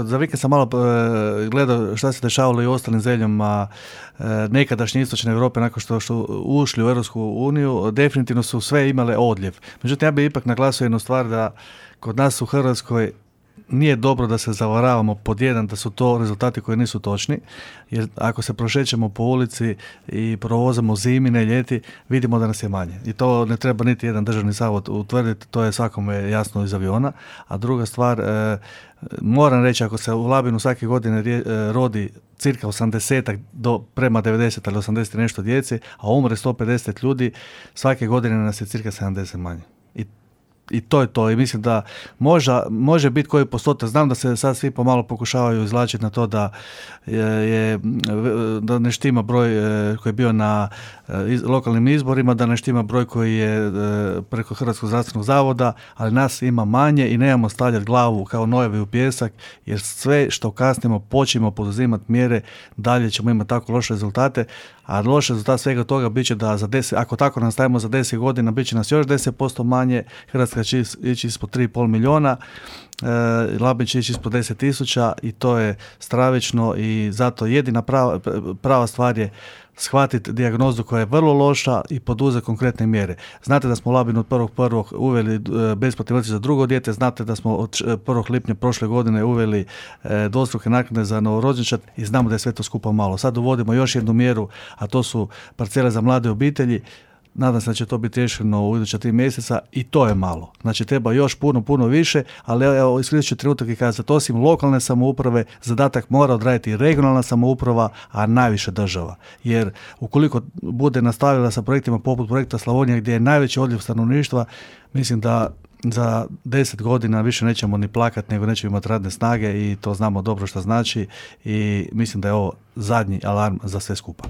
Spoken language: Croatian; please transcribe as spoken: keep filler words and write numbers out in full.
Za vikend sam malo uh, gledao šta se dešavalo i u ostalim zemljama uh, nekadašnje istočne Europe nakon što su ušli u Europsku uniju, definitivno su sve imale odljev. Međutim, ja bih ipak naglasio jednu stvar da kod nas u Hrvatskoj nije dobro da se zavaravamo pod jedan da su to rezultati koji nisu točni, jer ako se prošećemo po ulici i provozamo zimine, ljeti, vidimo da nas je manje. I to ne treba niti jedan državni zavod utvrditi, to je svakome jasno iz aviona. A druga stvar, e, moram reći, ako se u Labinu svake godine rje, e, rodi cirka osamdeset do prema devedeset ili osamdeset i nešto djece, a umre sto pedeset ljudi, svake godine nas je cirka sedamdeset manje. I I to je to. I mislim da možda, može biti koji postotak. Znam da se sad svi pomalo pokušavaju izvlačiti na to da je, je da ne štima broj koji je bio na iz, lokalnim izborima, da ne štima broj koji je preko Hrvatskog zdravstvenog zavoda, ali nas ima manje i nemamo stavljati glavu kao nojevi u pijesak, jer sve što kasnimo počnemo poduzimati mjere, dalje ćemo imati tako loše rezultate, a loše rezultat svega toga bit će da za deset, ako tako nastavimo za deset godina, bit će nas još deset posto manje, Hrvatska će ići ispod tri i pol milijuna, e, Labin će ići ispod deset tisuća i to je stravično i zato jedina prava, prava stvar je shvatiti dijagnozu koja je vrlo loša i poduzeti konkretne mjere. Znate da smo u Labinu od prvog prvog uveli besplatni vrtić za drugo dijete, znate da smo od prvog lipnja prošle godine uveli e, dvostruke naknade za novorođenčad i znamo da je sve to skupa malo. Sad uvodimo još jednu mjeru, a to su parcele za mlade obitelji. Nadam se da će to biti riješeno u iduća tri mjeseca i to je malo. Znači treba još puno, puno više, ali evo iskoristi ću trenutak i kazati, osim lokalne samouprave, zadatak mora odraditi i regionalna samouprava, a najviše država. Jer ukoliko bude nastavila sa projektima poput projekta Slavonija gdje je najveći odljev stanovništva, mislim da za deset godina više nećemo ni plakati, nego nećemo imati radne snage i to znamo dobro što znači i mislim da je ovo zadnji alarm za sve skupa.